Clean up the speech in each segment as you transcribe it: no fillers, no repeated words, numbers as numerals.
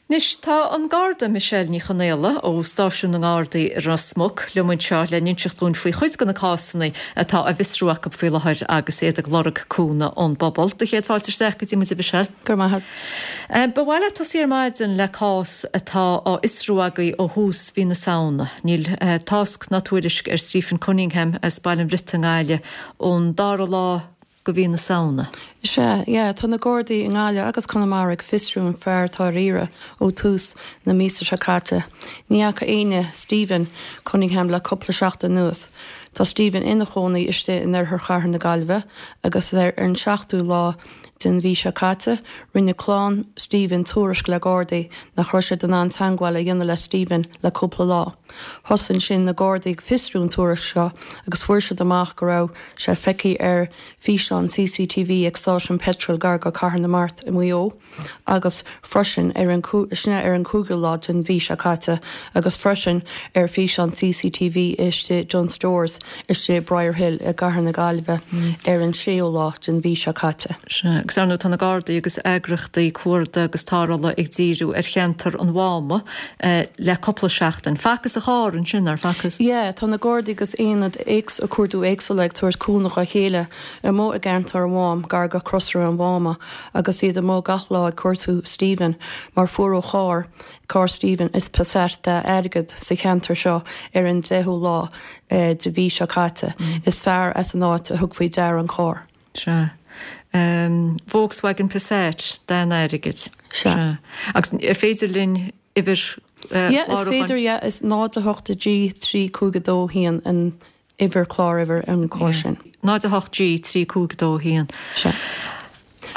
Anois tá an Garda Michelle Ní Chonaola ó Stáisiún na nGardaí i Ros Muc liom anseo le n-inseacht dúinn faoi chuid de na cásanna atá á bhfiosrú acu faoi láthair agus iad ag lorg cúnamh ón bpobal. Do chéad fáilte isteach go dtí muid a Mhichelle. Go raibh maith agat. Ba mhaith leat tosaí ar maidin le cás atá á fhiosrú agaibh ó thús mhí na Samhna. Níl tásc ná tuairisc ar Stephen Cunningham as Baile an Bhriotaigh i nGaillimh ón dara lá de mhí na Samhna. Sea, yeah, tá na Gardaí i nGaillimh agus Conamara ag fiosrú an fear atá ar iarraidh ó tús na míosa seo caite. Ní fhaca éinne Stephen Cunningham le cúpla seachtain anuas. Tá Stephen ina chónaí istigh in oirthear chathair na Gaillimhe agus ar an seachtú lá den mhí seo caite, rinne clann Stephen tuairisc le Gardaí nach raibh siad in ann teangmháil a dhéanamh le Stephen le cúpla lá. Thosaigh ansin na Gardaí ag fiosrú an tuairisc seo agus fuair siad amach go raibh sé feicthe ar físeán CCTV ag stáisiún peitril gar go Cathair na Mart i Maigh Eo agus freisin ar an sin ar an 5ú lá den mhí seo caite agus freisin ar físeán CCTV istigh Dunnes Stores istigh Briar Hill i gCathair na Gaillimhe ar an 6ú lá den mhí seo caite. Sea, agus ar ndóigh tá na Gardaí agus eagraíochtaí cuardaigh agus tarrthála ag díriú ar cheantar an Mháma le cúpla seachtain. Facthas a charr ansin, nár facthas? Yeah, tá na Gardaí agus aonaid cuardaigh éagsúla ag tabhairt cúnamh dá chéile amuigh i gceantar an Mhám, gar go Crosaire an Mháma, agus iad amuigh gach lá ag cuartú Stephen mar fuaireadh a charr, carr Stephen, is Passat dath airgead sa cheantar seo ar an 10ú lá de mhí seo caite. Is fear as an áit a thug faoi deara an carr. Sea. Volkswagen Passat, dath an airgid. Sea. Agus ar féidir linn uimhir chlárúcháin? Yeah, is féidir, yeah. Is 0 8 G 3 5 2 1 an uimhir cláruimhir an carr sin. 0 8 G 3 5 2 1. Sea.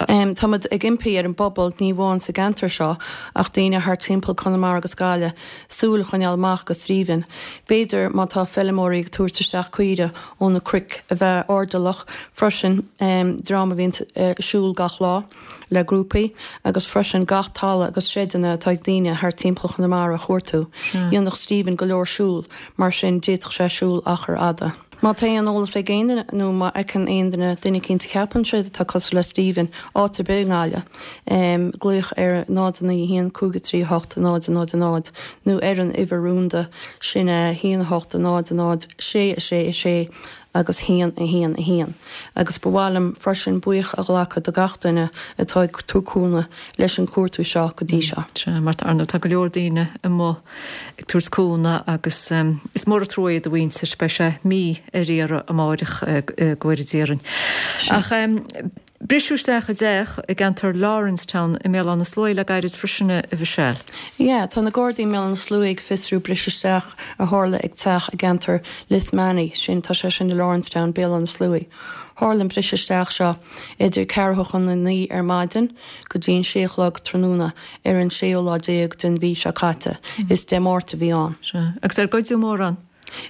Táimid ag impí ar an bpobal, ní amháin sa gceantar seo, ach daoine thart timpeall Conamara agus Gaillimh, súil a choinneáil amach go Stephen. B'fhéidir, má tá feilméaraí ag tabhairt isteach caoire ó na cnoic, a bheith airdeallach freisin, dream a bhíonn ag siúl gach lá le grúpaí, agus freisin gach talamh agus seideanna atá ag daoine thart timpeall Chonamara a chuartú. Dhéanfadh Stephen go leor siúl, mar sin d'fhéadfadh sé siúl achar fhada. Má tá aon eolas ag aon duine nó má fheiceann aon duine duine eicínt a cheapann siad atá cosúil le Stephen, áit ar bith i nGaillimh, glaoch ar 0 9 1 5 3 8 0 0 0 nó ar an uimhir rúnda, sin 1 8 0 0 6 6 6 agus 1 1 1. Agus ba mhaith liom freisin buíoch a ghlacadh do gach duine atá ag tabhairt cúnamh leis an cuartú seo go dtí seo. Sea, mar ar ndóigh tá go leor daoine amuigh ag tabhairt cúnamh agus is mór an trua é do mhuintir, beidh sé mí ar iarraidh amáireach go bhfóire Dia orainn. Ach briseadh isteach i dteach i gceantar Lawrencetown i mBéal Átha na Sluaighe le gairid freisin a Mhichelle. Yeah, tá na Gardaí i mBéal Átha na Sluaighe ag fiosrú briseadh isteach a tharla ag teach i gceantar Lismany, sin, tá sé sin i Lawrencetown, Béal Átha na Sluaighe. Tharla an briseadh isteach seo idir ceathrú chun a 9 ar maidin go dtí an sé a chlog tráthnóna. ar an séú lá déag den mhí seo caite. Is Dé Máirt a bhí ann. Sea. Agus ar goideadh mórán?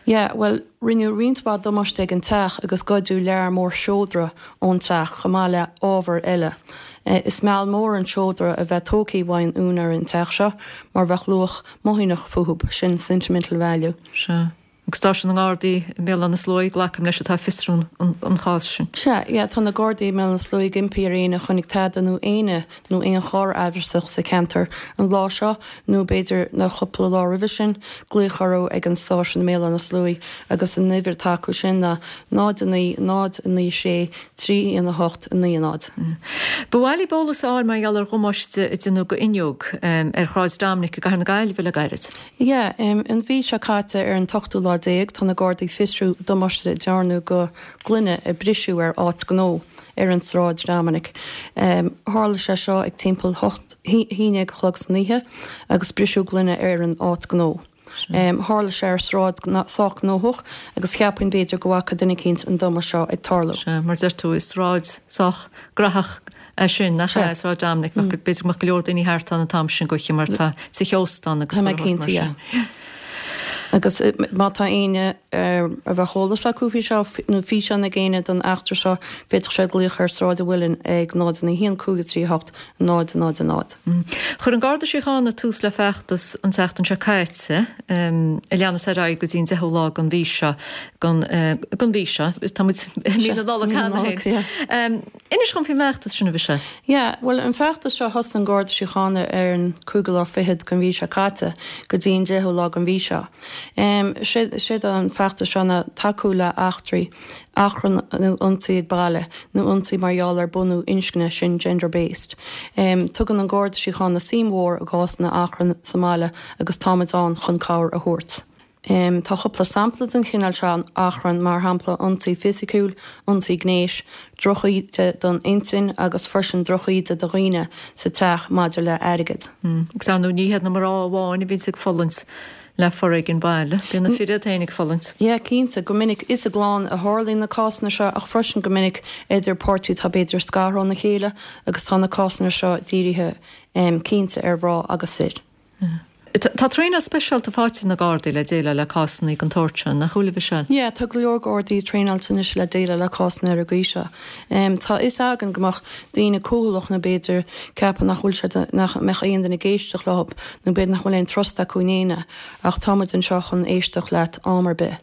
Yeah, bhuel, rinneadh roinnt mhaith damáiste ag an teach agus goideadh lear mór seodra ón teach chomh maith le ábhar eile. Is meall mór an seodra a bheith tógtha uaidh an úinéir an teach seo mar bheadh luach mothúchánach fúthub, sin sentimental value. Sea. Ag stáisiún na nGardaí i mBéal Átha na Sluaighe, glacaim leis, atá ag fiosrú an chás sin. Sea, yeah, tá na Gardaí i mBéal Átha na Sluaighe ag impí ar éinne a chonaic tada nó éinne nó aon charr aimhreasach sa cheantar an lá seo nó b'fhéidir na chúpla lá roimhe sin, glaoch orthu ag an stáisiún i mBéal Átha na Sluaighe agus an uimhir atá acu sin ná 0 9 0 9 6 3 1 8 9 0. Ba mhaith libh eolas a fháil mar gheall ar dhamáiste a déanadh go fhuinneog ar Shráid Dominic i gCathair na Gaillimhe le gairid. Yeah, an mhí seo caite ar an t-ochtú lá déag tá na Gardaí ag fiosrú damáiste a dearnadh go gloine a briseadh ar áit gnó ar an Sráid Dominic. Tharla sé seo ag timpeall hocht, haon déag a chlog san oíche agus briseadh gloine ar an áit gnó. Tharla sé ar sráid sách gnóthach agus cheapfainn b'fhéidir go bhfaca duine eicínt an damáiste seo ag tarlú. Sea, mar deir tú, is sráid sách graitheach é sin, nach ea, Sráid Dominic, b'fhéidir go mbeadh go leor daoine thart ann an t-am sin d'oíche mar tá tithe ósta ann agus Tá mé cinnte, yeah. Agus má tá éinne a bheadh eolas acu faoi seo, nó físeán ag éinne den eachtra seo, féadfaidh siad glaoch ar Sráid an Mhuilinn ag 0 9 1 5 3 8 0 0 0. Chuir an Garda Síochána tús le feachtas an tseachtain seo caite, a leanas ar aghaidh go dtí an 10ú lá den mhí seo, den mhí seo, tá muid i mí na Nollag cheana féin. Inis dhom faoin bhfeachtas sin, a Mhichelle. Yeah, bhuel an feachtas seo thosaigh an Garda Síochána ar an cúigiú lá fichead den mhí seo caite go dtí an deichiú lá den mhí seo. Em, séard an feachtas seo ná tacú le eachtraí, achrann nó ionsaí ag baile nó ionsaí mar gheall ar bunú inscne, sin gender based. Em, tugann an Garda Síochána suim mhór i gcásanna achrann sa mbaile agus táimid ann chun cabhair a thabhairt. Tá cúpla sampla den chineál seo achrann, mar shampla ionsaí fisiciúil, ionsaí gnéis, drochíde don intinn agus freisin drochíde do dhaoine sa teach maidir le airgead. Agus ar ndóigh ní hiad na mná amháin a bhíonns ag fulaingt le foréigean baile, bíonn na fir iad féin ag fulaingt. Yeah, cinnte. Go minic is i gclann a tharlaíonn na cásanna seo ach freisin go minic idir páirtí atá b'fhéidir scartha óna chéile agus tá na cásanna seo dírithe cinnte ar mhná agus fir. Tá traenáil speisialta faighte ag na Gardaí le déileáil le cásanna den tsórt seo, nach bhfuil, a Mhichelle? Yeah, tá go leor Gardaí traenáilte anois le déileáil le cásanna ar an gcaoi seo. Tá a fhios againn go mbeadh daoine cúthaileach nó b'fhéidir ceapadh nach bhfuil siad, nach mbeadh aon duine ag éisteacht leo nó b'fhéidir nach bhfuil aon trust acu in éinne ach tá muid anseo chun éisteacht leat am ar bith.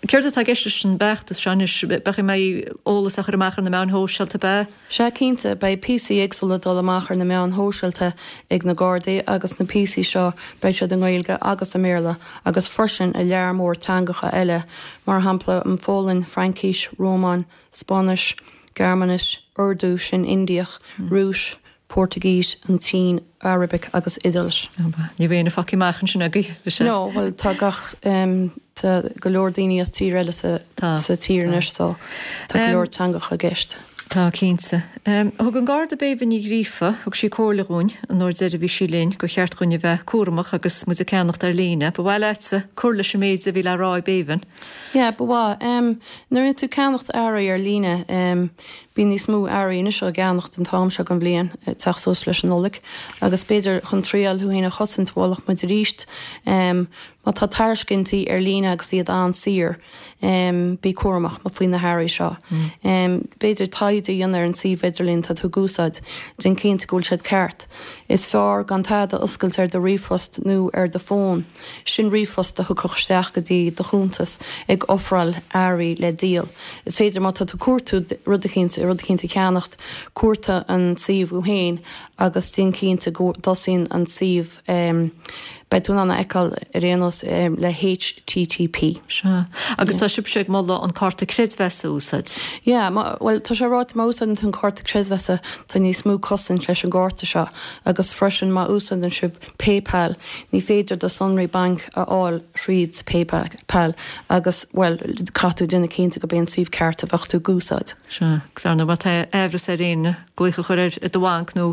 Céard atá i gceist leis an bhfeachtas seo anois? Beidh mbeidh eolas á chur amach ar na meáin shóisialta, ab ea? Sea, cinnte. Beidh píosaí éagsúla ag dul amach ar na meáin shóisialta ag na Gardaí agus na píosaí seo beidh siad i nGaeilge agus i mBéarla agus freisin i lear mór teangacha eile, mar shampla an Pholainn, Fraincis, Rómáin, Spáinnis, Gearmáinis, Urdu, sin Indiach, Rúis, Portaingéis, an tSín, Arabic agus Iodáilis. Ní bheidh éinne fágtha amach ansin agaibh, is ea? No, bhuel tá gach, tá go leor daoine as tír eile sa sa tír anois so tá go leor teangacha i gceist. Tá, cinnte. Thug an Garda Béibhinn Ní Ghríofa, thug sí comhairle dhúinn an uair deiridh a bhí sí linn, gur cheart dhúinn a bheith cúramach agus muid ag ceannacht ar líne. Ba mhaith leatsa cur leis an méid a bhí le rá ag Béibhinn? Yeah, ba mhaith. Nuair a bhíonn tú ag ceannacht earraí ar líne, Bíonn níos mó earraí anois á gceannacht an t-am seo den bhliain, ag teacht suas leis an Nollaig, agus b'fhéidir chun triail thú féin a chosaint, mholfadh muid arís, má tá tairiscintí ar líne agus iad an-saor, bí cúramach faoi na hearraí seo. B'fhéidir taighde a dhéanamh ar an suíomh idirlín atá tú ag úsáid, déan cinnte go bhfuil siad ceart. Is fearr gan tada a oscailt ar do ríomhphost nó ar do fón. Sin ríomhphost a thiocfadh isteach go dtí do chuntas ag ofráil earraí le díol. Is féidir má tá tú ag cuartú rud eicínt, rud eicínt a cheannacht, cuartaigh an suíomh thú féin agus déan cinnte go dtosaíonn an suíomh, beidh tú in ann a fheiceáil ar aon nós, le http. Sea. Agus tá sibhse ag moladh an cárta creidmheasa a úsáid. Yeah, má, bhuel, tá sé ráite má úsáideann tú an cárta creidmheasa tá níos mó cosaint leis an gcárta seo agus freisin má úsáideann sibh PayPal, ní féidir do sonraí bainc a fháil thríd PayPal agus, bhuel, caithfidh tú déanamh cinnte gurb é an suíomh ceart a bheadh tú ag úsáid. Sea, agus ar ndóigh má tá aimhreas ar éinne, glaoch a chur ar do bhanc nó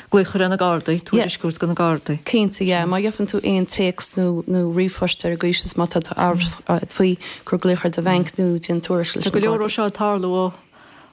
glaoch a chur ar na Gardaí, tuairisc a thabhairt do na Gardaí. Cinnte, yeah. Má gheibheann tú aon téacs nó nó ríomhphost ar an gcaoi is má tá tú amhrasach faoi, cuir glaoch ar do bhanc nó déan tuairisc leis na Gardaí. Tá go leor ó seo ag tarlú ó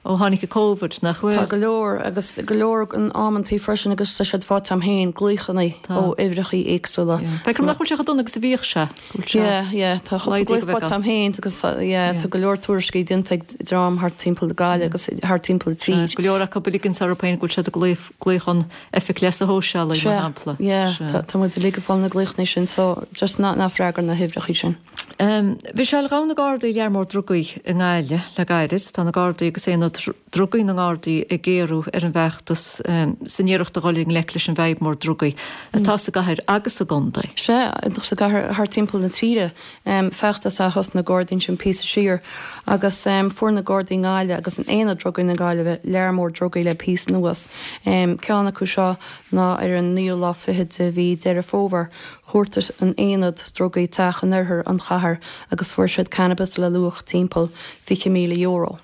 Ó tháinig an Covid, nach bhfuil? Tá go leor, agus go leor in amantaí freisin agus tá siad faighte agam féin, glaochanna ó uimhreachaí éagsúla. Feicim nach bhfuil sé chomh dona agus a bhíodh sé. Go bhfuil sé. Yeah, yeah, tá cúpla glaoch faighte agam féin agus yeah, tá go leor tuairiscí déanta ag dream thart timpeall na Gaillimhe agus thart timpeall an tír. Go leor acu ag ligint orthu féin go bhfuil siad ag glaoch ón Oifig Leasa Shóisialaigh, mar shampla. Yeah, tá muid uilig ag fáil na glaochanna sin so just ná freagair na huimhreachaí sin. Michelle, ghabh na Gardaí lear mór drugaí i nGaillimh le gairid. Tá na Gardaí agus Aonad Drugaí na nGardaí ag géarú ar an bhfeachtas san iarracht a dhul i ngleic leis an bhfadhb mhór drugaí atá sa gcathair agus sa gcontae. Sea, sa gcathair, thart timpeall na tíre. Feachtas a thosnaigh na Gardaí ansin píosa siar agus fuair na Gardaí i nGaillimh agus in Aonad Drugaí na Gaillimhe lear mór drugaí le píosa anuas. Ceann acu seo ná ar an naoú lá fichead de mhí Deireadh Fómhair. Chuartaigh an tAonad Drugaí teach in oirthear an chathair agus fuair siad cannabis le luach timpeall €20,000.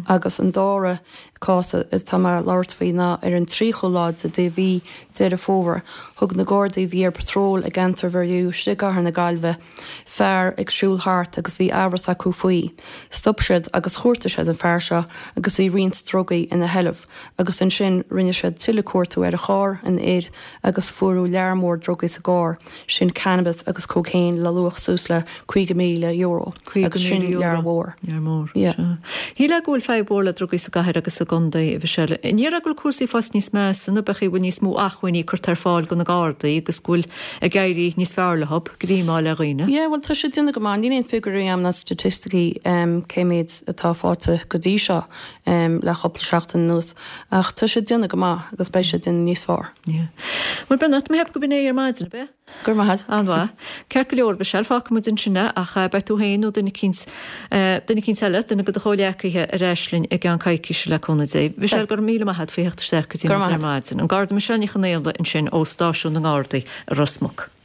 Agus an dara cás atá mé ag labhairt faoi ná ar an 30ú lá de mhí Deireadh Fómhair, thug na Gardaí a bhí ar patról i gceantar Mhuirfean istigh i gcathair na Gaillimhe fear ag siúl thart agus bhí amhras acu faoi. Stop siad agus chuartaigh siad an fear seo agus bhí roinnt drugaí ina sheilbh agus ansin rinne siad tuilleadh cuartú ar charr an fhir agus fuaireadh lear mór drugaí sa gcarr, sin cannabis agus cocaine le luach suas le €50,000 agus sin lear mhór. Lear mór, sea. Shílfeá go bhfuil fadhb mhór le drugaí sa gcathair agus sa gcontae, a Mhichelle. An ndéarfá go bhfuil cúrsaí fós níos measa nó b'fhéidir go bhfuil níos mó acmhainní curtha ar fáil do na Gardaí agus go bhfuil ag éirí níos fearr leo greim a fháil ar dhaoine? Yeah, bhuel tá siad ag déanamh go maith. Níl aon figiúirí agam ná staitisticí cé méid atá faighte go dtí seo le cúpla seachtain anuas ach tá siad ag déanamh go maith agus beidh siad ag déanamh níos fearr. Yeah. Bhuel Beannacht, mé cheap go b'in é ar maidin, ab ea? Go raibh maith agat. An-mhaith. Ceart go leor, Mhichelle, fágfaidh muid ansin é ach beidh tú féin nó duine eicínt, duine eicínt eile, duine de do chomhghleacaithe ar ais linn i gceann coicíse le cúnamh Dé. Michelle, go raibh míle maith agat faoi theacht isteach go dtí muid ar maidin. An Garda Michelle Ní Chonaola ansin ó Stáisiún na nGardaí i Ros Muc.